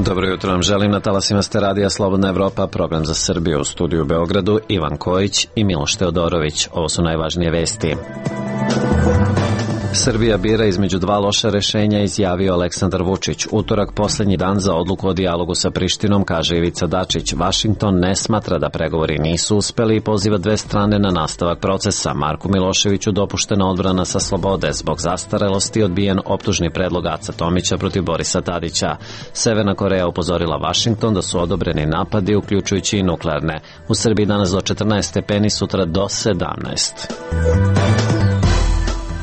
Dobro jutro vam želim, na talasima ste radija Slobodna Evropa, program za Srbiju, u studiju u Beogradu, Ivan Kojić i Miloš Teodorović. Ovo su najvažnije vesti. Srbija bira između dva loša rešenja, izjavio Aleksandar Vučić. Utorak poslednji dan za odluku o dijalogu sa Prištinom, kaže Ivica Dačić. Vašington ne smatra da pregovori nisu uspeli i poziva dve strane na nastavak procesa. Marku Miloševiću dopuštena odbrana sa slobode. Zbog zastarelosti odbijen optužni predlog Aca Tomića protiv Borisa Tadića. Severna Koreja upozorila Vašington da su odobreni napadi, uključujući i nuklearne. U Srbiji danas do 14 stepeni, sutra do 17.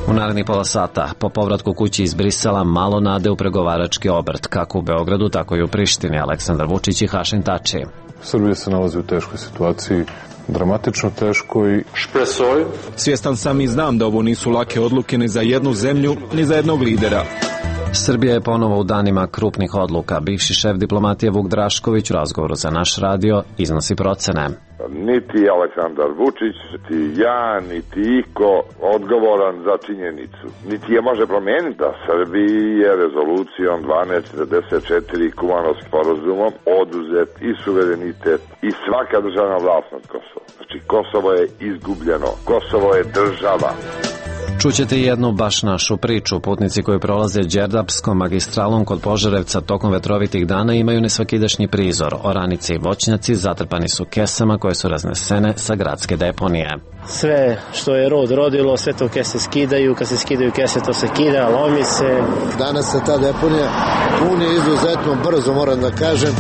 U narednih pola sata, po povratku kući iz Brisela, malo nade u pregovarački obrt, kako u Beogradu, tako i u Prištini. Aleksandar Vučić i Hašim Tači. Srbija se nalazi u teškoj situaciji, dramatično teškoj. Svjestan sam i znam da ovo nisu lake odluke ni za jednu zemlju, ni za jednog lidera. Srbija je ponovo u danima krupnih odluka. Bivši šef diplomatije Vuk Drašković u razgovoru za naš radio iznosi procene. Niti Aleksandar Vučić, niti ja, niti iko odgovoran za činjenicu. Niti je može promijeniti da Srbiji je rezolucijom 1244 Kumanovskim sporazumom oduzet i suverenitet i svaka državna vlast nad Kosovom. Znači Kosovo je izgubljeno, Kosovo je država. Čućete jednu baš našu priču. Putnici koji prolaze Đerdapskom magistralom kod Požarevca tokom vetrovitih dana imaju nesvakidašnji prizor. Oranice i voćnjaci zatrpani su kesama koje su raznesene sa gradske deponije. Sve što je rod rodilo, sve to kese skidaju, kad se skidaju kese to se kida, lomi se. Danas se ta deponija puni izuzetno brzo, moram da kažem.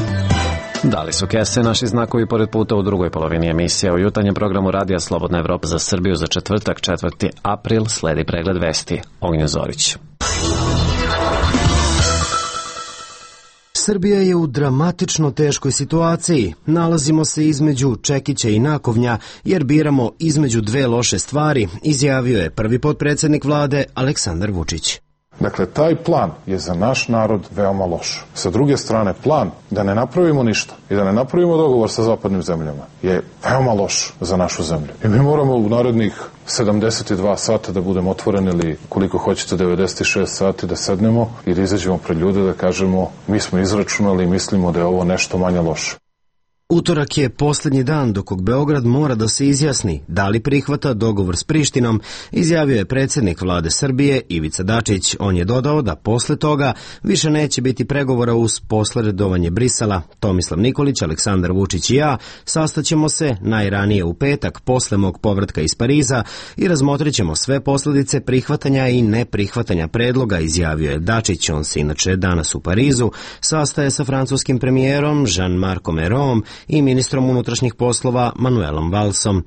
Da li su kese naši znakovi pored puta u drugoj polovini emisije? U jutarnjem programu Radija Slobodna Evropa za Srbiju za četvrtak, 4. april, sledi pregled vesti. Ognjen Zorić. Srbija je u dramatično teškoj situaciji. Nalazimo se između čekića i nakovnja jer biramo između dve loše stvari, izjavio je prvi potpredsjednik vlade Aleksandar Vučić. Dakle, taj plan je za naš narod veoma loš. Sa druge strane, plan da ne napravimo ništa i da ne napravimo dogovor sa zapadnim zemljama je veoma loš za našu zemlju. I mi moramo u narednih 72 sata da budemo otvoreni ili koliko hoćete 96 sati da sednemo i da izađemo pred ljude da kažemo mi smo izračunali i mislimo da je ovo nešto manje loše. Utorak je posljednji dan do kog Beograd mora da se izjasni da li prihvata dogovor s Prištinom, izjavio je predsjednik vlade Srbije Ivica Dačić. On je dodao da posle toga više neće biti pregovora uz posredovanje Brisela. Tomislav Nikolić, Aleksandar Vučić i ja sastaćemo se najranije u petak posle mog povratka iz Pariza i razmotrit ćemo sve posljedice prihvatanja i neprihvatanja predloga, izjavio je Dačić. On se inače danas u Parizu sastaje sa francuskim premijerom Jean-Marc Ayraultom i ministrom unutrašnjih poslova Manuelom Valsom.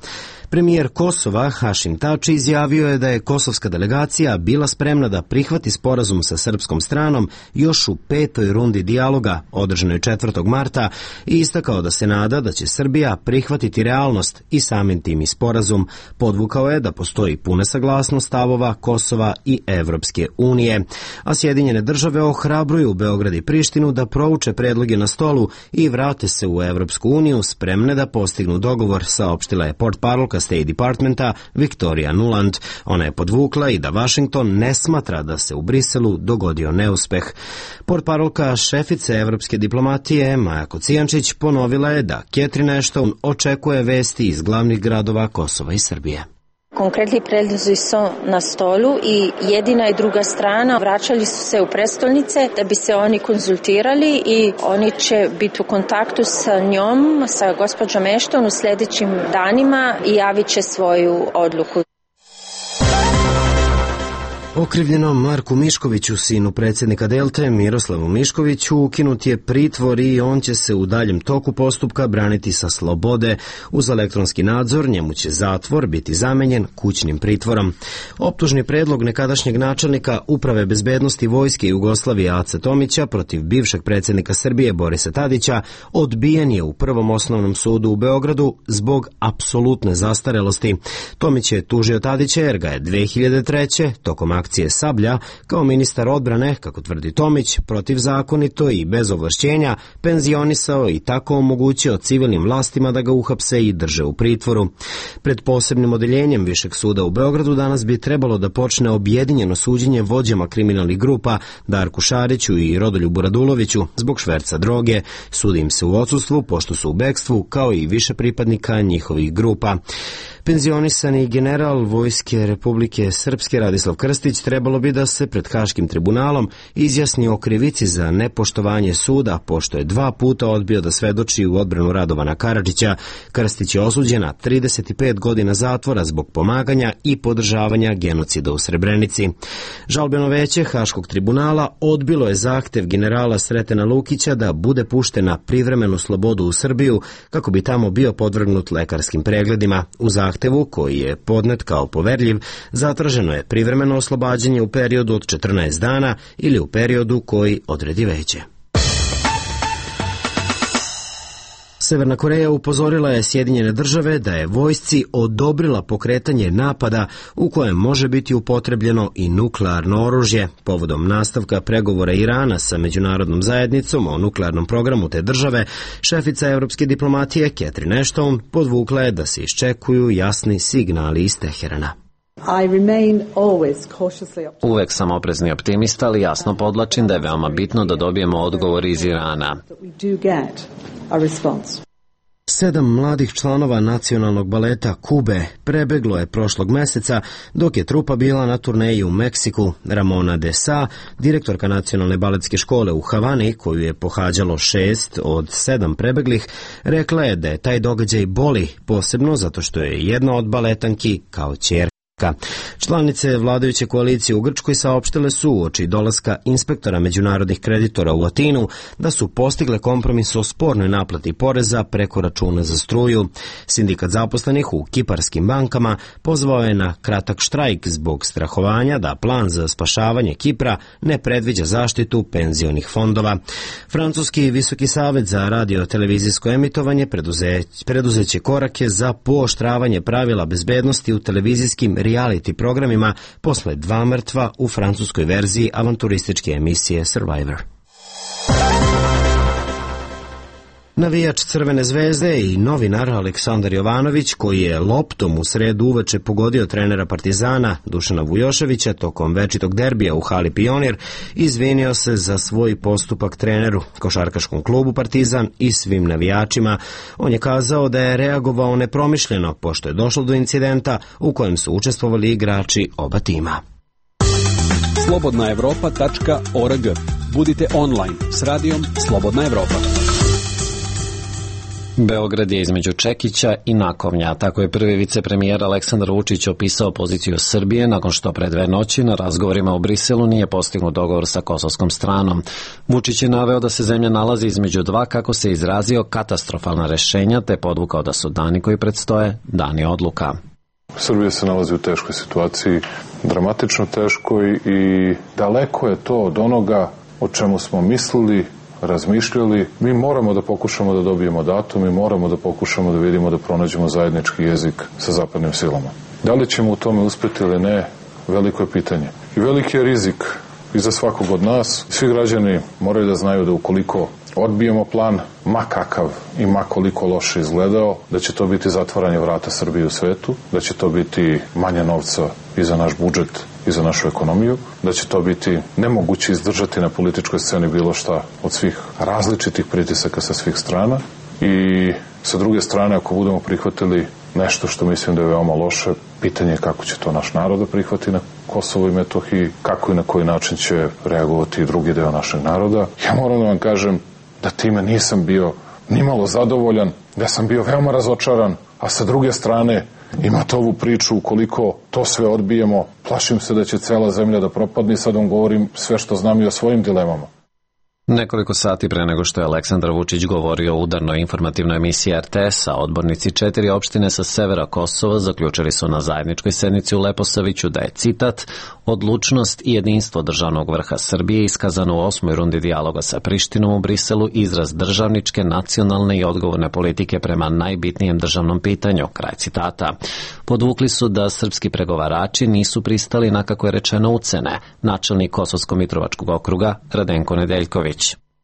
Premijer Kosova Hašim Tači izjavio je da je kosovska delegacija bila spremna da prihvati sporazum sa srpskom stranom još u 5. rundi dijaloga održanoj 4. marta i istakao da se nada da će Srbija prihvatiti realnost i samim tim i sporazum. Podvukao je da postoji puna saglasnost stavova Kosova i Evropske unije. A Sjedinjene države ohrabruju Beograd i Prištinu da prouče predloge na stolu i vrate se u Evropsku uniju spremne da postignu dogovor, saopštila je portparolka State Departmenta Victoria Nuland. Ona je podvukla i da Vašington ne smatra da se u Briselu dogodio neuspeh. Portparolka šefice evropske diplomatije Maja Kocijančić ponovila je da Catherine Ashton očekuje vesti iz glavnih gradova Kosova i Srbije. Konkretni predlozi su na stolu i jedina i druga strana vraćali su se u prestolnice da bi se oni konzultirali i oni će biti u kontaktu sa njom, sa gospođom Ashton u sljedećim danima i javit će svoju odluku. Okrivljenom Marku Miškoviću, sinu predsjednika Delte, Miroslavu Miškoviću, ukinut je pritvor i on će se u daljem toku postupka braniti sa slobode. Uz elektronski nadzor njemu će zatvor biti zamenjen kućnim pritvorom. Optužni predlog nekadašnjeg načelnika Uprave bezbednosti Vojske Jugoslavije Ace Tomića protiv bivšeg predsjednika Srbije Borisa Tadića odbijen je u Prvom osnovnom sudu u Beogradu zbog apsolutne zastarelosti. Tomić je tužio Tadića jer ga je 2003. tokom akcije akcije Sablja, kao ministar odbrane, kako tvrdi Tomić, protivzakonito i bez ovlašćenja penzionisao i tako omogućio civilnim vlastima da ga uhapse i drže u pritvoru. Pred posebnim odeljenjem Višeg suda u Beogradu danas bi trebalo da počne objedinjeno suđenje vođama kriminalnih grupa Darku Šariću i Rodoljubu Raduloviću zbog šverca droge. Sudi im se u odsustvu, pošto su u bekstvu, kao i više pripadnika njihovih grupa. Penzionisani general Vojske Republike Srpske Radislav Krstić trebalo bi da se pred Haškim tribunalom izjasni o krivici za nepoštovanje suda, pošto je 2 puta odbio da svedoči u odbranu Radovana Karadžića. Krstić je osuđen na 35 godina zatvora zbog pomaganja i podržavanja genocida u Srebrenici. Žalbeno veće Haškog tribunala odbilo je zahtev generala Sretena Lukića da bude pušten na privremenu slobodu u Srbiju kako bi tamo bio podvrgnut lekarskim pregledima. U zahtevu, koji je podnet kao poverljiv, zatraženo je privremeno oslobađanje u periodu od 14 dana ili u periodu koji odredi veće. Severna Koreja upozorila je Sjedinjene države da je vojsci odobrila pokretanje napada u kojem može biti upotrebljeno i nuklearno oružje. Povodom nastavka pregovora Irana sa međunarodnom zajednicom o nuklearnom programu te države, šefica evropske diplomatije Catherine Ashton podvukla je da se iščekuju jasni signali iz Teherana. Uvek sam oprezni optimista, ali jasno podlačim da je veoma bitno da dobijemo odgovor iz Irana. 7 mladih članova nacionalnog baleta Kube prebeglo je prošlog meseca dok je trupa bila na turneji u Meksiku. Ramona de Sa, direktorka nacionalne baletske škole u Havani, koju je pohađalo 6 od 7 prebeglih, rekla je da je taj događaj boli, posebno zato što je jedna od baletanki kao ćerka. Članice vladajuće koalicije u Grčkoj saopštile su uoči dolaska inspektora međunarodnih kreditora u Atinu da su postigle kompromis o spornoj naplati poreza preko računa za struju. Sindikat zaposlenih u kiparskim bankama pozvao je na kratak štrajk zbog strahovanja da plan za spašavanje Kipra ne predviđa zaštitu penzionih fondova. Francuski Visoki savet za radio-televizijsko emitovanje preduzeće korake za pooštravanje pravila bezbednosti u televizijskim reality programima posle 2 mrtva u francuskoj verziji avanturističke emisije Survivor. Navijač Crvene zvezde i novinar Aleksandar Jovanović, koji je loptom u sredu uveče pogodio trenera Partizana Dušana Vujoševića tokom večitog derbija u hali Pionir, izvinio se za svoj postupak treneru, košarkaškom klubu Partizan i svim navijačima. On je kazao da je reagovao nepromišljeno, pošto je došlo do incidenta u kojem su učestvovali igrači oba tima. slobodnaevropa.org. Budite online s radijom Slobodna Evropa. Beograd je između čekića i nakovnja. Tako je prvi vicepremijer Aleksandar Vučić opisao poziciju Srbije nakon što pre 2 noći na razgovorima u Briselu nije postignut dogovor sa kosovskom stranom. Vučić je naveo da se zemlja nalazi između 2, kako se izrazio, katastrofalna rešenja, te podvukao da su dani koji predstoje dani odluka. Srbija se nalazi u teškoj situaciji, dramatično teškoj, i daleko je to od onoga o čemu smo mislili, razmišljali. Mi moramo da pokušamo da dobijemo datum, mi moramo da pokušamo da vidimo, da pronađemo zajednički jezik sa zapadnim silama. Da li ćemo u tome uspeti ili ne, veliko je pitanje. I veliki je rizik i za svakog od nas. Svi građani moraju da znaju da ukoliko odbijemo plan, ma kakav i ma koliko loše izgledao, da će to biti zatvaranje vrata Srbije u svetu, da će to biti manje novca i za naš budžet i za našu ekonomiju, da će to biti nemoguće izdržati na političkoj sceni bilo šta od svih različitih pritisaka sa svih strana. I sa druge strane, ako budemo prihvatili nešto što mislim da je veoma loše, pitanje je kako će to naš narod da prihvati na Kosovo i Metohiji, kako i na koji način će reagovati i drugi deo našeg naroda. Ja moram da vam kažem da time nisam bio nimalo zadovoljan, da sam bio veoma razočaran, a sa druge strane imate ovu priču, ukoliko to sve odbijemo, plašim se da će cela zemlja da propadne. Sad vam govorim sve što znam i o svojim dilemama. Nekoliko sati pre nego što je Aleksandar Vučić govorio u udarnoj informativnoj emisiji RTS-a, odbornici 4 opštine sa severa Kosova zaključili su na zajedničkoj sednici u Leposaviću da je, citat, odlučnost i jedinstvo državnog vrha Srbije iskazano u 8. rundi dijaloga sa Prištinom u Briselu izraz državničke, nacionalne i odgovorne politike prema najbitnijem državnom pitanju, kraj citata. Podvukli su da srpski pregovarači nisu pristali na, kako je rečeno, ucene, načelnik Kosovsko-Mitrovačkog okruga Radenko Nedeljković.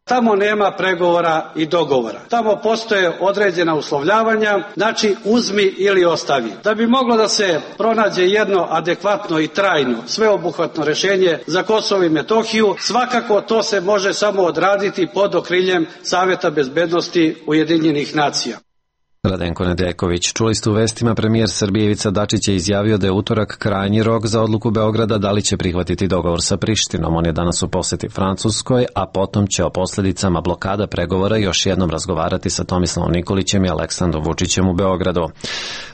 Tamo nema pregovora i dogovora. Tamo postoje određena uslovljavanja, znači uzmi ili ostavi. Da bi moglo da se pronađe jedno adekvatno i trajno, sveobuhvatno rešenje za Kosovo i Metohiju, svakako to se može samo odraditi pod okriljem Saveta bezbednosti Ujedinjenih nacija. Radenko Nedeljković. Čuli ste u vestima, premijer Srbije Ivica Dačić je izjavio da je utorak krajnji rok za odluku Beograda da li će prihvatiti dogovor sa Prištinom. On je danas u poseti Francuskoj, a potom će o posledicama blokada pregovora još jednom razgovarati sa Tomislavom Nikolićem i Aleksandrom Vučićem u Beogradu.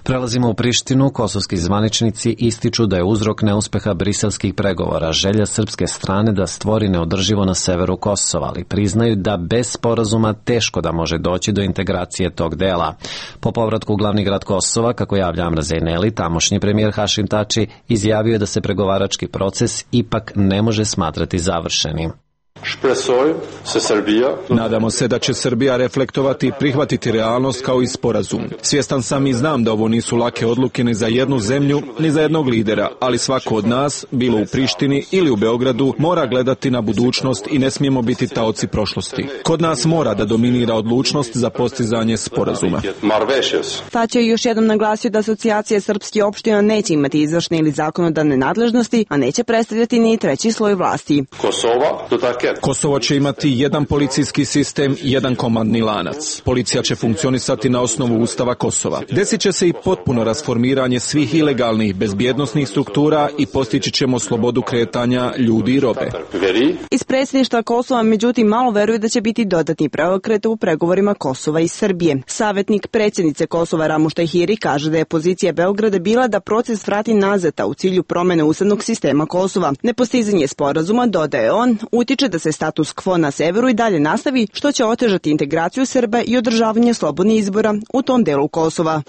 Prelazimo u Prištinu. Kosovski zvaničnici ističu da je uzrok neuspeha briselskih pregovora želja srpske strane da stvori neodrživo na severu Kosova, ali priznaju da bez sporazuma teško da može doći do integracije tog dela. Po povratku u glavni grad Kosova, kako javlja Amra Zejneli, tamošnji premijer Hašim Tači izjavio je da se pregovarački proces ipak ne može smatrati završenim. Nadamo se da će Srbija reflektovati i prihvatiti realnost kao i sporazum. Svjestan sam i znam da ovo nisu lake odluke ni za jednu zemlju, ni za jednog lidera, ali svako od nas, bilo u Prištini ili u Beogradu, mora gledati na budućnost i ne smijemo biti taoci prošlosti. Kod nas mora da dominira odlučnost za postizanje sporazuma. Tači je još jednom naglasio da asocijacija srpskih opština neće imati izvršne ili zakonodavne nadležnosti, a neće predstavljati ni treći sloj vlasti. Kosovo će imati jedan policijski sistem, jedan komandni lanac. Policija će funkcionisati na osnovu Ustava Kosova. Desit će se i potpuno rasformiranje svih ilegalnih bezbjednosnih struktura i postići ćemo slobodu kretanja ljudi i robe. Iz predsjedništva Kosova, međutim, malo veruju da će biti dodatni preokret u pregovorima Kosova i Srbije. Savjetnik predsjednice Kosova Ramuštaj Hiri kaže da je pozicija Beograda bila da proces vrati nazad, a u cilju promene ustavnog sistema Kosova. Nepostizanje sporazuma, dodaje on, utiče da se status quo na severu i dalje nastavi, što će otežati integraciju Srba i održavanje slobodnih izbora u tom delu Kosova.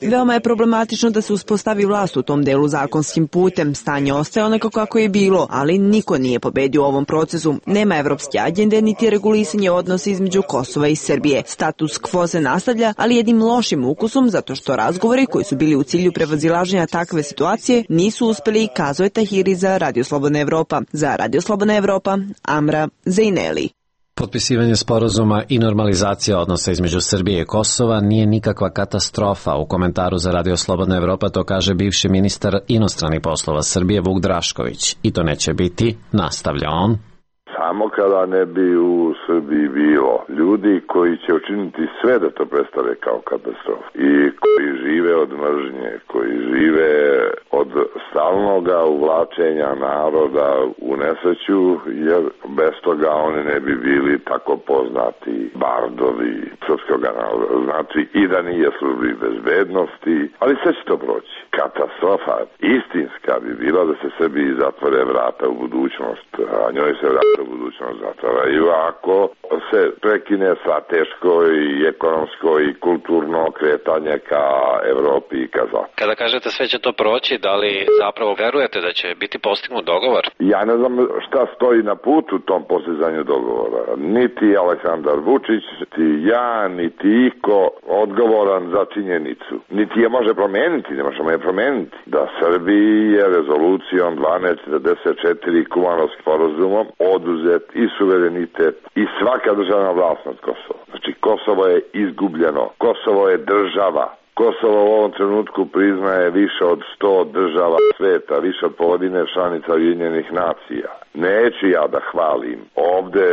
Veoma je problematično da se uspostavi vlast u tom delu zakonskim putem. Stanje ostaje onako kako je bilo, ali niko nije pobedio u ovom procesu. Nema evropske agende niti regulisanje odnosa između Kosova i Srbije. Status quo se nastavlja, ali jednim lošim ukusom, zato što razgovori koji su bili u cilju prevazilaženja takve situacije nisu uspeli, kazuje Tahiri za Radio Slobodna Evropa. Za Radio Slobodna Evropa, Amra Zejneli. Potpisivanje sporazuma i normalizacija odnosa između Srbije i Kosova nije nikakva katastrofa. U komentaru za Radio Slobodna Evropa to kaže bivši ministar inostranih poslova Srbije Vuk Drašković. I to neće biti, nastavlja on. Samo kada ne bi u Srbiji bilo ljudi koji će učiniti sve da to predstave kao katastrofu i koji žive od mržnje, koji žive od stalnoga uvlačenja naroda u nesreću, jer bez toga oni ne bi bili tako poznati bardovi srpskog naroda. Znači i da nije službi bezbednosti, ali sve će to proći. Katastrofa istinska bi bila da se Srbiji zatvore vrata u budućnost, a njoj se vrata u budućnost zatvaraju ako se prekine strateško i ekonomsko i kulturno kretanje ka Evropi i ka Zapadu. Kada kažete sve će to proći, da li zapravo verujete da će biti postignut dogovor? Ja ne znam šta stoji na putu tom postizanju dogovora. Niti Aleksandar Vučić, niti ja, niti iko odgovoran za činjenicu. Niti je može promeniti, ne možemo je promeniti. Da Srbiji je rezolucijom 1244 Kumanovskim sporazumom oduzet i suverenitet i svaka državna vlast nad Kosovo. Znači Kosovo je izgubljeno. Kosovo je država. Kosovo u ovom trenutku priznaje više od 100 država sveta, više od polovine članica Ujedinjenih nacija. Neću ja da hvalim ovde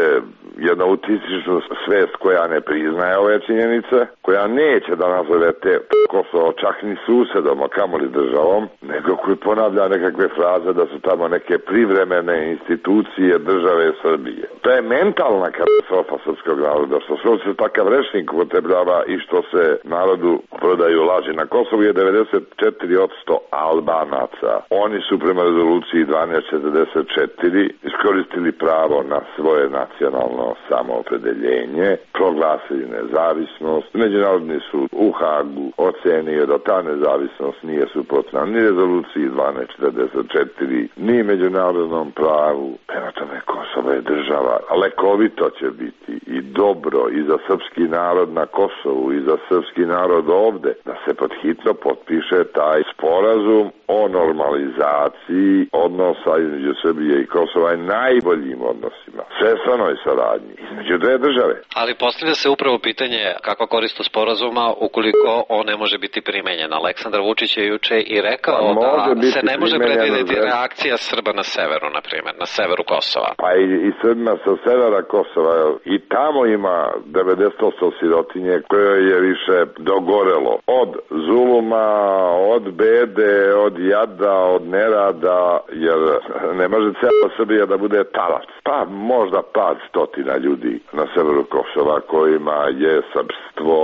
jednu autističnu svest koja ne priznaje ove činjenice, koja neće da nazove te Kosovo čak ni susedom, a kamoli državom, nego koji ponavlja nekakve fraze da su tamo neke privremene institucije države Srbije. To je mentalna katastrofa srpskog naroda, što se takav rečnik upotrebljava i što se narodu prodaju laži. Na Kosovu je 94% Albanaca. Oni su prema rezoluciji 1244 iskoristili pravo na svoje nacionalno samoopredeljenje, proglasili nezavisnost. Međunarodni sud u Hagu ocenio da ta nezavisnost nije suprotna ni rezoluciji 1244, ni međunarodnom pravu. Prema tome, Kosovo je država, lekovito će biti i dobro i za srpski narod na Kosovu i za srpski narod ovde, da se podhitno potpiše taj sporazum o normalizaciji odnosa između Srbije i Kosova i najboljim odnosima, svestranoj saradnji između dve države. Ali postavlja se upravo pitanje kakva korist od sporazuma ukoliko on ne može biti primenjen. Aleksandar Vučić je juče i rekao da se ne može predvidjeti reakcija Srba na severu, na primjer, na severu Kosova. Pa i Srbima sa severa Kosova i tamo ima 90% sirotinje koje je više dogorelo od zuluma, od bede, od jada, od nerada, jer ne može cijela Srbija da bude talac. Pa možda par stotina ljudi na severu Kosova kojima je srpstvo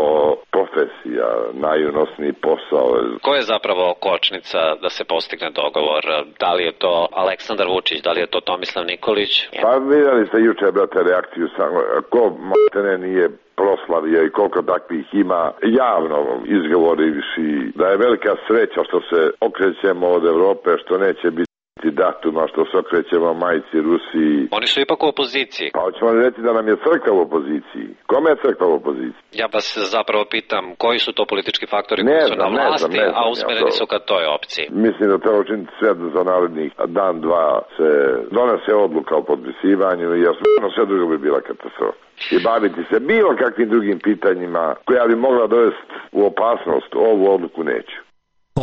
profesija, najunosniji posao. Ko je zapravo kočnica da se postigne dogovor? Da li je to Aleksandar Vučić, da li je to Tomislav Nikolić? Pa vidjeli ste juče, brate, reakciju samo. Ko matene nije proslavio i koliko takvih ima javno izgovorivši da je velika sreća što se okrećemo od Evrope, što neće biti datuma, što se okrećemo majci Rusiji. Oni su ipak u opoziciji. Pa hoćemo li reći da nam je crkva u opoziciji? Kome je crkva u opoziciji? Ja vas zapravo pitam koji su to politički faktori koji su na vlasti, a usmereni su ka toj opciji. Mislim da treba učiniti sve za narednih dan, dva se donese odluka o potpisivanju, jer sve drugo bi bila katastrofa. I baviti se bilo kakvim drugim pitanjima koja bi mogla dovesti u opasnost, ovu odluku neću.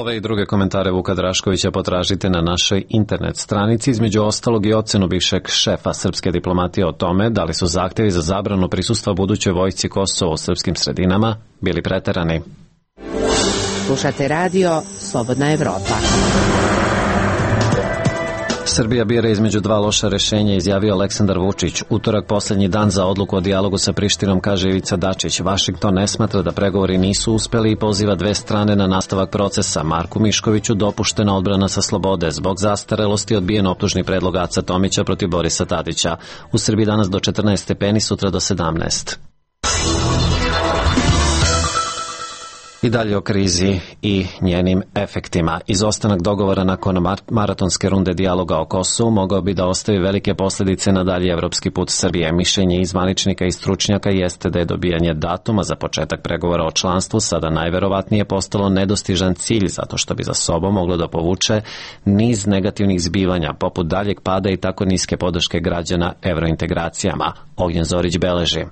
Ove i druge komentare Vuka Draškovića potražite na našoj internet stranici, između ostalog i ocenu bivšeg šefa srpske diplomatije o tome da li su zahtevi za zabranu prisustva budućoj vojsci Kosova u srpskim sredinama bili preterani. Slušate radio Slobodna Evropa. Srbija bira između dva loša rešenja, izjavio Aleksandar Vučić. Utorak poslednji dan za odluku o dijalogu sa Prištinom, kaže Ivica Dačić. Vašington ne smatra da pregovori nisu uspeli i poziva dve strane na nastavak procesa. Marku Miškoviću dopuštena odbrana sa slobode. Zbog zastarelosti odbijen optužni predlog Aca Tomića protiv Borisa Tadića. U Srbiji danas do 14 stepeni, sutra do 17. I dalje o krizi i njenim efektima. Izostanak dogovora nakon maratonske runde dijaloga o Kosovu mogao bi da ostavi velike posljedice na dalji evropski put Srbije. Mišljenje i zvaničnika i stručnjaka jeste da je dobijanje datuma za početak pregovora o članstvu sada najverovatnije postalo nedostižan cilj, zato što bi za sobom moglo da povuče niz negativnih zbivanja, poput daljeg pada i tako niske podrške građana evrointegracijama. Ognjen Zorić beleži.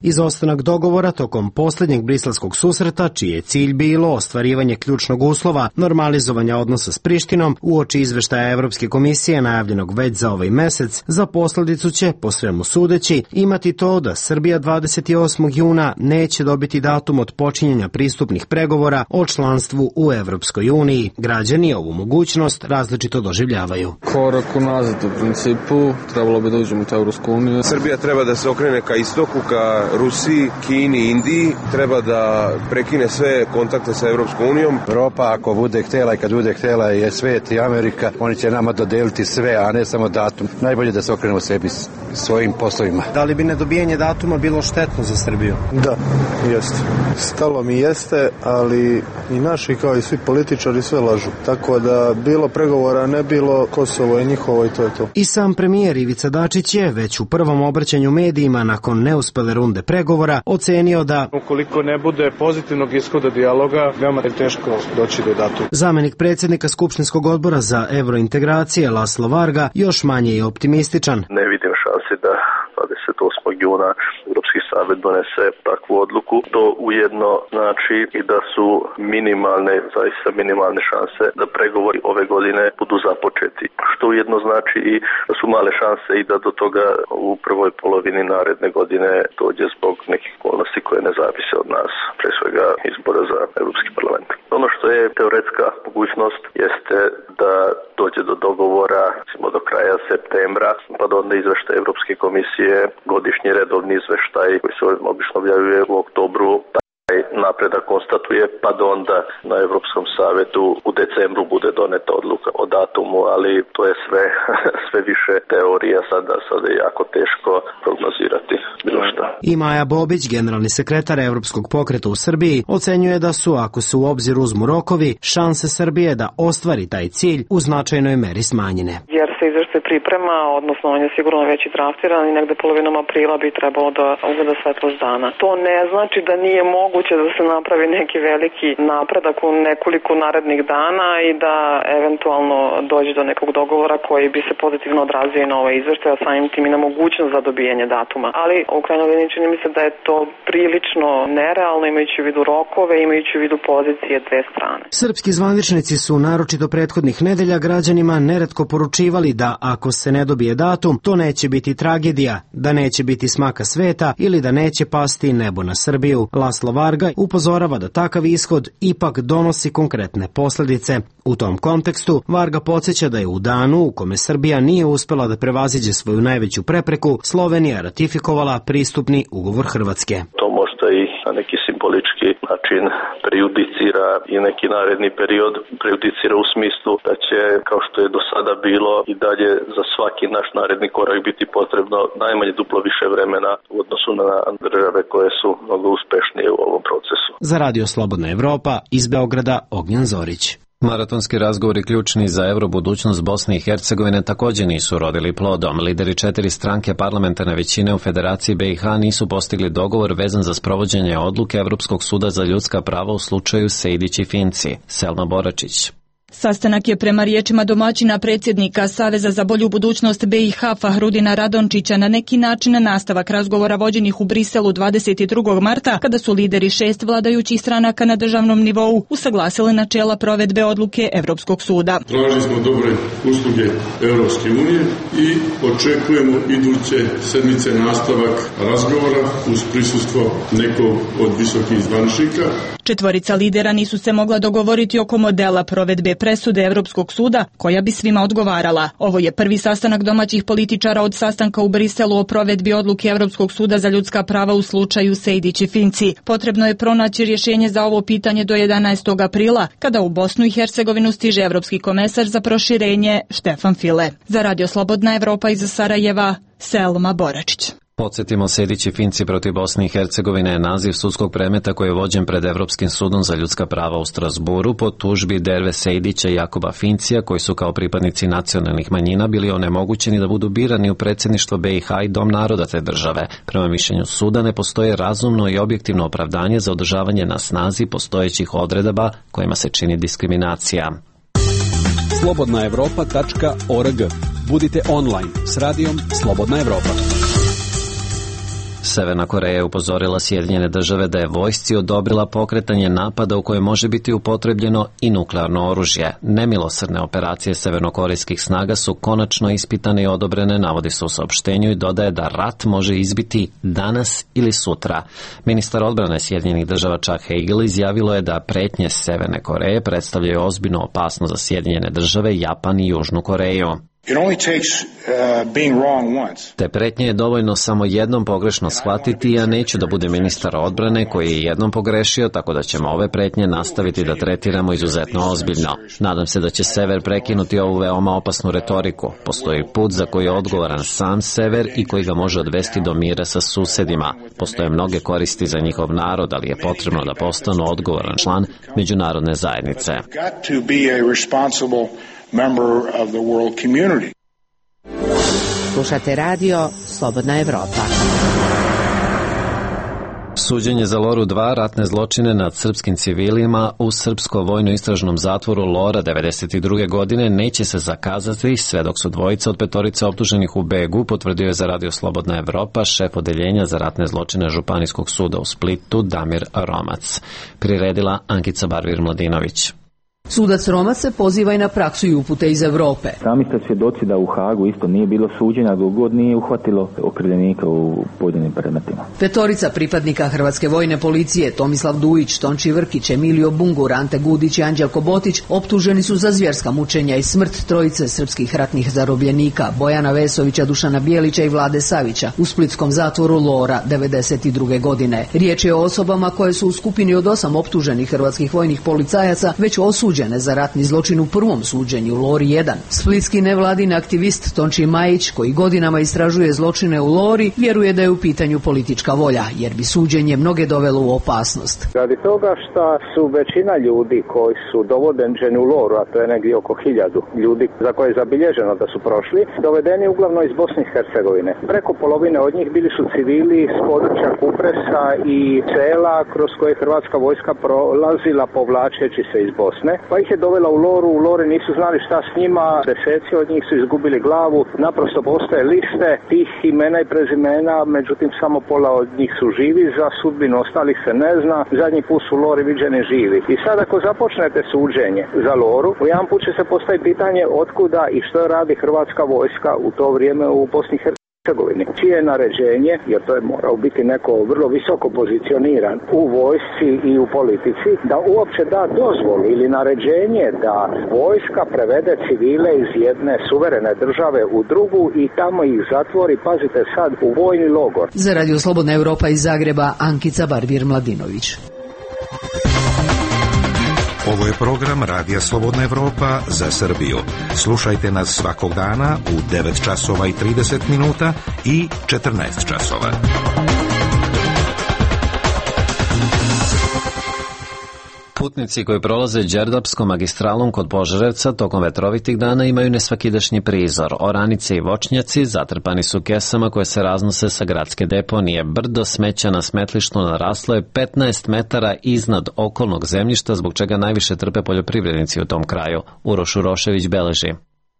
Izostanak dogovora tokom posljednjeg briselskog susreta, čiji je cilj bilo ostvarivanje ključnog uslova normalizovanja odnosa s Prištinom, uoči izveštaja Evropske komisije najavljenog već za ovaj mesec, za posljedicu će, po svemu sudeći, imati to da Srbija 28. juna neće dobiti datum od počinjenja pristupnih pregovora o članstvu u Evropskoj uniji. Građani ovu mogućnost različito doživljavaju. Korak unazad u principu, trebalo bi da uđemo u Evropsku uniju. Srbija treba da se okrene ka istoku, ka Rusiji, Kini, Indiji, treba da prekine sve kontakte sa Evropskom unijom. Evropa ako bude htjela i kad bude htjela je svet i Amerika, oni će nama dodeliti sve, a ne samo datum. Najbolje da se okrenemo sebi svojim poslovima. Da li bi nedobijanje datuma bilo štetno za Srbiju? Da, jeste. Stalo mi jeste, ali i naši kao i svi političari sve lažu. Tako da bilo pregovora, ne bilo, Kosovo je njihovo i to je to. I sam premijer Ivica Dačić je već u prvom obraćanju medijima nakon neuspele runde pregovora ocenio da ukoliko ne bude pozitivnog ishoda dijaloga, veoma je teško doći do datuma. Zamenik predsjednika Skupštinskog odbora za evrointegracije Laslo Varga još manje je optimističan. Ne vidim šanse da 28. juna Europski savjet donese takvu odluku. To ujedno znači i da su minimalne, zaista minimalne šanse da pregovori ove godine budu započeti. Što ujedno znači i da su male šanse i da do toga u prvoj polovini naredne godine dođe zbog nekih okolnosti koje ne zavise od nas, pre svega izbora za Europski parlament. Ono što je teoretska mogućnost jeste da dođe do dogovora do kraja septembra, pa da onda izveštaj Europske komisije, godišnji redovni izveštaj koji se obično objavljuje u oktobru, taj napredak konstatuje, pa da onda na Evropskom savetu u decembru bude doneta odluka o datumu, ali to je sve više teorija, sada je jako teško prognozirati bilo šta. I Maja Bobić, generalni sekretar Evropskog pokreta u Srbiji, ocenjuje da su, ako se u obzir uzmu rokovi, šanse Srbije da ostvari taj cilj u značajnoj meri smanjene. Jer se izveštaj priprema, odnosno on je sigurno već i draftiran i negde polovinom aprila bi trebalo da ugleda svetlost dana. To ne znači da nije moguće da se napravi neki veliki napredak u nekoliko narednih dana i da eventualno dođe do nekog dogovora koji bi se pozitivno odrazio i na ovaj izveštaj, a samim tim i na mogućnost za dobijanje datuma. Ali u krajnjoj liniji čini mi se da je to prilično nerealno, imajući u vidu rokove, imajući u vidu pozicije dve strane. Srpski zvaničnici su naročito prethodnih nedelja građanima neretko poručivali da ako se ne dobije datum, to neće biti tragedija, da neće biti smaka sveta ili da neće pasti nebo na Srbiju. Laslo Varga upozorava da takav ishod ipak donosi konkretne posledice. U tom kontekstu Varga podsjeća da je u danu u kome Srbija nije uspela da prevaziđe svoju najveću prepreku, Slovenija ratifikovala pristupni ugovor Hrvatske. To možda i na neki simbolički način prejudicira i neki naredni period, prejudicira u smislu da će, kao što je do sada bilo, i dalje za svaki naš naredni korak biti potrebno najmanje duplo više vremena u odnosu na države koje su mnogo uspešnije u ovom procesu. Za Radio Slobodna Evropa, iz Beograda, Ognjan Zorić. Maratonski razgovori ključni za eurobudućnost Bosne i Hercegovine također nisu rodili plodom. Lideri 4 stranke parlamentarne većine u Federaciji BiH nisu postigli dogovor vezan za sprovođenje odluke Evropskog suda za ljudska prava u slučaju Sejdić i Finci. Selma Boračić. Sastanak je prema riječima domaćina predsjednika Saveza za bolju budućnost BiH Fahrudina Radončića na neki način nastavak razgovora vođenih u Briselu 22. marta, kada su lideri 6 vladajućih stranaka na državnom nivou usaglasili načela provedbe odluke Evropskog suda. Tražili smo dobre usluge Evropske unije i očekujemo iduće sedmice nastavak razgovora uz prisustvo nekog od visokih zvaničnika. 4 lidera nisu se mogla dogovoriti oko modela provedbe presude Evropskog suda koja bi svima odgovarala. Ovo je prvi sastanak domaćih političara od sastanka u Briselu o provedbi odluke Evropskog suda za ljudska prava u slučaju Sejdić i Finci. Potrebno je pronaći rješenje za ovo pitanje do 11. aprila, kada u Bosnu i Hercegovinu stiže Evropski komesar za proširenje Štefan File. Za Radio Slobodna Evropa iz Sarajeva, Selma Boračić. Podsjetimo, Sejdić i Finci protiv Bosne i Hercegovine je naziv sudskog predmeta koji je vođen pred Evropskim sudom za ljudska prava u Strasburu po tužbi Derve Sejdića i Jakoba Fincija, koji su kao pripadnici nacionalnih manjina bili onemogućeni da budu birani u predsjedništvo BiH i Dom naroda te države. Prema mišljenju suda ne postoje razumno i objektivno opravdanje za održavanje na snazi postojećih odredaba kojima se čini diskriminacija. slobodnaevropa.org. Budite online s radijom Slobodna Evropa. Severna Koreja je upozorila Sjedinjene države da je vojsci odobrila pokretanje napada u kojem može biti upotrebljeno i nuklearno oružje. Nemilosrdne operacije severnokorejskih snaga su konačno ispitane i odobrene, navodi se u saopštenju, i dodaje da rat može izbiti danas ili sutra. Ministar odbrane Sjedinjenih država Chuck Hagel izjavilo je da pretnje Severne Koreje predstavljaju ozbiljnu opasnost za Sjedinjene države, Japan i Južnu Koreju. Te pretnje je dovoljno samo jednom pogrešno shvatiti. Ja neću da bude ministar odbrane koji je jednom pogrešio, tako da ćemo ove pretnje nastaviti da tretiramo izuzetno ozbiljno. Nadam se da će Sever prekinuti ovu veoma opasnu retoriku. Postoji put za koji je odgovoran sam Sever i koji ga može odvesti do mira sa susedima. Postoje mnoge koristi za njihov narod, ali je potrebno da postanu odgovoran član međunarodne zajednice. Member of the world community. Slušate radio Slobodna Evropa. Suđenje za Loru 2, ratne zločine nad srpskim civilima u srpsko vojno-istražnom zatvoru Lora 92. godine neće se zakazati sve dok su dvojica od 5 optuženih u begu, potvrdio je za Radio Slobodna Evropa šef odeljenja za ratne zločine Županijskog suda u Splitu Damir Romac. Priredila Ankica Barvir Mladinović. Sudac Romac se poziva i na praksu i upute iz Evrope. Sami ste svjedoci da u Hagu isto nije bilo suđenja dok god nije uhvatilo okrivljenika u pojedinim predmetima. Petorica pripadnika Hrvatske vojne policije, Tomislav Dujić, Tonči Vrkić, Emilio Bungur, Ante Gudić i Anđelko Botić, optuženi su za zvjerska mučenja i smrt trojice srpskih ratnih zarobljenika, Bojana Vesovića, Dušana Bijelića i Vlade Savića u splitskom zatvoru Lora 92. godine. Riječ je o osobama koje su u skupini od 8 optuženih hrvatskih vojnih policajaca već osuđene za ratni zločin u prvom suđenju Lori 1. Splitski nevladin aktivist Tonči Majić, koji godinama istražuje zločine u Lori, vjeruje da je u pitanju politička volja, jer bi suđenje mnoge dovelo u opasnost. Radi toga što su većina ljudi koji su dovođeni u Loru, a to je negdje oko 1000 ljudi za koje je zabilježeno da su prošli, dovedeni uglavnom iz Bosne i Hercegovine. Preko polovine od njih bili su civili s područja Kupresa i sela kroz koje hrvatska vojska prolazila povlačeći se iz Bosne, pa ih je dovela u Loru. U Lori nisu znali šta s njima, deseci od njih su izgubili glavu, naprosto postoje liste tih imena i prezimena, međutim samo pola od njih su živi, za sudbinu ostalih se ne zna, zadnji put su u Lori viđeni živi. I sad ako započnete suđenje za Loru, u jedan put će se postaviti pitanje otkuda i što radi hrvatska vojska u to vrijeme u Bosni i Hercegovini. Čije je naređenje, jer to je morao biti neko vrlo visoko pozicioniran u vojsci i u politici, da uopće da dozvolu ili naređenje da vojska prevede civile iz jedne suverene države u drugu i tamo ih zatvori, pazite sad, u vojni logor. Za Radio Slobodna Evropa iz Zagreba, Ankica Barbir-Mladinović. Ovo je program Radija Slobodna Evropa za Srbiju. Slušajte nas svakog dana u 9 časova i 30 minuta i 14 časova. Putnici koji prolaze Đerdapskom magistralom kod Požarevca tokom vetrovitih dana imaju nesvakidašnji prizor. Oranice i voćnjaci zatrpani su kesama koje se raznose sa gradske deponije. Brdo smeća na smetlištu naraslo je 15 metara iznad okolnog zemljišta, zbog čega najviše trpe poljoprivrednici u tom kraju. Uroš Urošević beleži.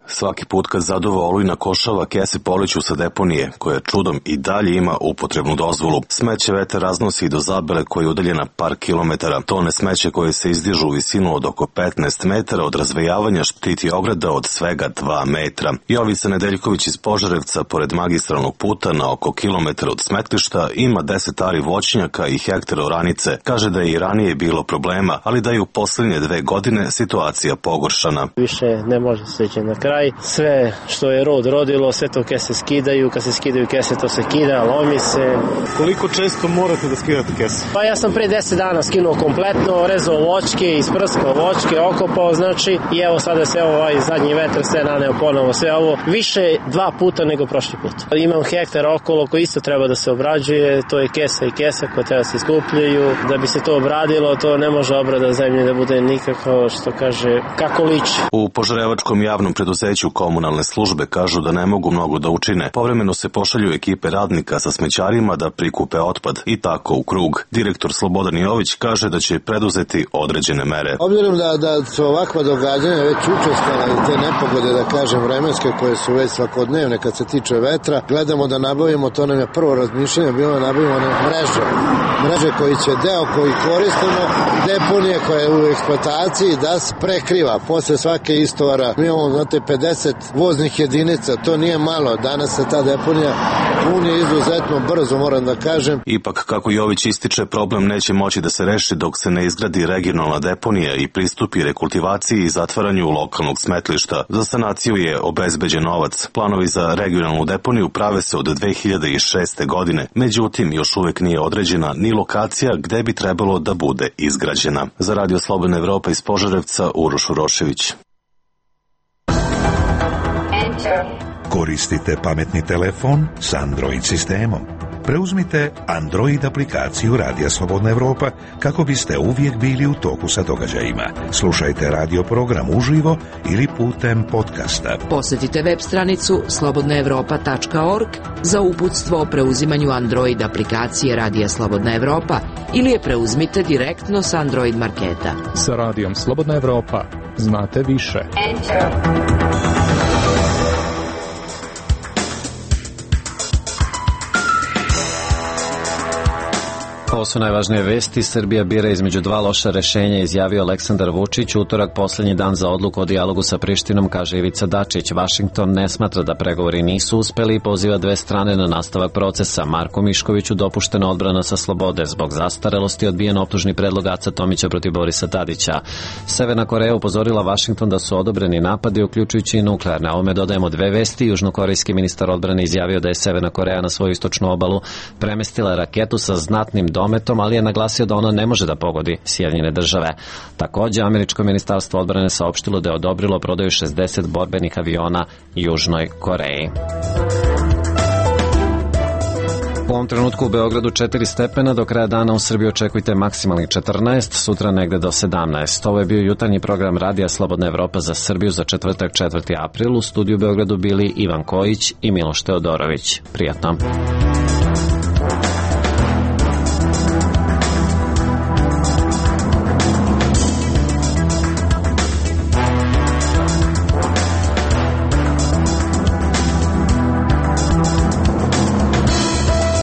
Svaki put kad zaduva olujna košava, kese poliću sa deponije, koja čudom i dalje ima upotrebnu dozvolu. Smeće vetar raznosi do Zabele koja je udaljena par kilometara. Tone smeće koje se izdižu u visinu od oko 15 metara od razvejavanja štiti ograda od svega 2 metra. Jovica Nedeljković iz Požarevca, pored magistralnog puta na oko kilometar od smetlišta, ima 10 ari voćnjaka i hektar oranice. Kaže da je i ranije bilo problema, ali da je u poslednje 2 godine situacija pogoršana. Više ne može se ići na kraj. Sve što je rodilo, sve to kese skidaju, kad se skidaju kese to se kida, lomi se. Koliko često morate da skidate kese? Pa ja sam pre 10 dana skinuo kompletno, rezao voćke, isprskao voćke, okopao, znači, i evo sada se ovaj zadnji vetar sve naneo ponovo, sve ovo više 2 puta nego prošli put. Imam hektar okolo koji isto treba da se obrađuje, to je kesa i kesa koja treba da se skupljaju. Da bi se to obradilo, to ne može obrada zemlje da bude nikako, što kaže, kako liči. U Požarevačkom javnom preduzeću komunalne službe kažu da ne mogu mnogo da učine. Povremeno se pošalju ekipe radnika sa smećarima da prikupe otpad i tako u krug. Direktor Slobodan Jović kaže da će preduzeti određene mere. Obzirom da su ovakva događanja već učestala i te nepogode, da kažem, vremenske koje su već svakodnevne kad se tiče vetra, gledamo da nabavimo, to nam je prvo razmišljanje bilo da nabavimo mreže koji će deo koji koristimo, deponije koje je u eksploataciji da se prekriva. Posle svake istovara mi imamo, znate, 50 voznih jedinica, to nije malo. Danas se ta deponija puni izuzetno brzo, moram da kažem. Ipak, kako Jović ističe, problem neće moći da se reši dok se ne izgradi regionalna deponija i pristupi rekultivaciji i zatvaranju lokalnog smetlišta. Za sanaciju je obezbeđen novac. Planovi za regionalnu deponiju prave se od 2006. godine. Međutim, još uvek nije određena ni lokacija gde bi trebalo da bude izgrađena. Za Radio Slobodna Evropa iz Požarevca, Uroš Urošević. Koristite pametni telefon s Android sistemom. Preuzmite Android aplikaciju Radija Slobodna Evropa kako biste uvijek bili u toku sa događajima. Slušajte radio program uživo ili putem podcasta. Posjetite web stranicu slobodnaevropa.org za uputstvo o preuzimanju Android aplikacije Radija Slobodna Evropa ili je preuzmite direktno sa Android marketa. Sa Radijom Slobodna Evropa znate više. Ovo su najvažnije vesti. Srbija bira između dva loša rešenja, izjavio Aleksandar Vučić. Utorak poslednji dan za odluku o dijalogu sa Prištinom, kaže Ivica Dačić. Vašington ne smatra da pregovori nisu uspeli i poziva dve strane na nastavak procesa. Marku Miškoviću dopuštena odbrana sa slobode. Zbog zastarelosti odbijen optužni predlog Aca Tomića protiv Borisa Tadića. Severna Koreja upozorila Vašington da su odobreni napadi, uključujući i nuklearne. Ovome dodajemo dve vesti. Južnokorejski ministar odbrane izjavio da je Severna Koreja na svoju istočnu obalu premestila raketu sa znatnim dometom, ali je naglasio da ona ne može da pogodi Sjedinjene Države. Takođe, američko ministarstvo odbrane saopštilo da je odobrilo prodaju 60 borbenih aviona Južnoj Koreji. U ovom trenutku u Beogradu 4 stepena, do kraja dana u Srbiji očekujte maksimalnih 14, sutra negde do 17. Ovo je bio jutarnji program Radija Slobodna Evropa za Srbiju za četvrtak 4. april. U studiju u Beogradu bili Ivan Kojić i Miloš Teodorović. Prijatno.